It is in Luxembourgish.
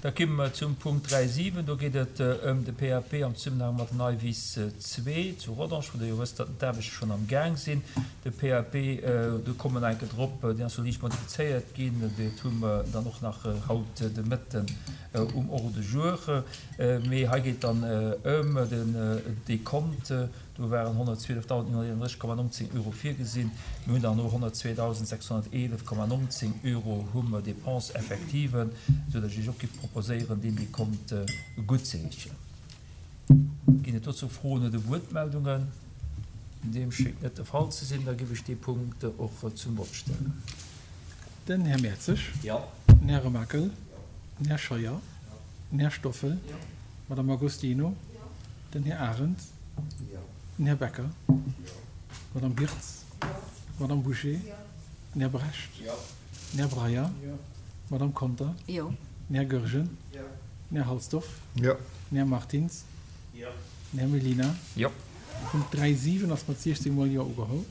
Da komme mer zum Punkt 3,7. Do geet et ëm de PAP am Zesummenhang mat den Aivis 2 zu Rodange, wou Der jo wësst, datt d'Aarbechte schonn am Gaang sinn. De PAP, do komme mer nach eng Kéier drop, deen ass jo liicht modifizéiert ginn. Dat hu mer dann och nach haut de Mëtten um Ordre du jour. Mee hei geet et dann ëm den Dekont. Do waren 112.931,19 Euro virgesinn. Mir hunn dann elo 102.611,19 Euro hu mer Dépenses effectives, esou datt ech Iech och géif proposéieren, deen Dekont guttzeheeschen. Ginn et dozou Froen oder Wuertmeldungen? Deem schéngt net de Fall ze sinn. Da géif ech dee Punkt och zum Vott stellen. Den Här Mertzig. Den Här Remakel. Den Här Scheuer. Den Här Stoffel. D'Madame Agostino. Den Här Arendt. Den Här Becker. D'Madame Birtz. D'Madame Bouché. Den Här Brecht. Den Här Breyer. D'Madame Conter. Den Här Goergen. Den Här Halsdorf. Den Här Martins. Den Här Mellina. Punkt 3, 7 ass mat 16 mol Jo ugeholl.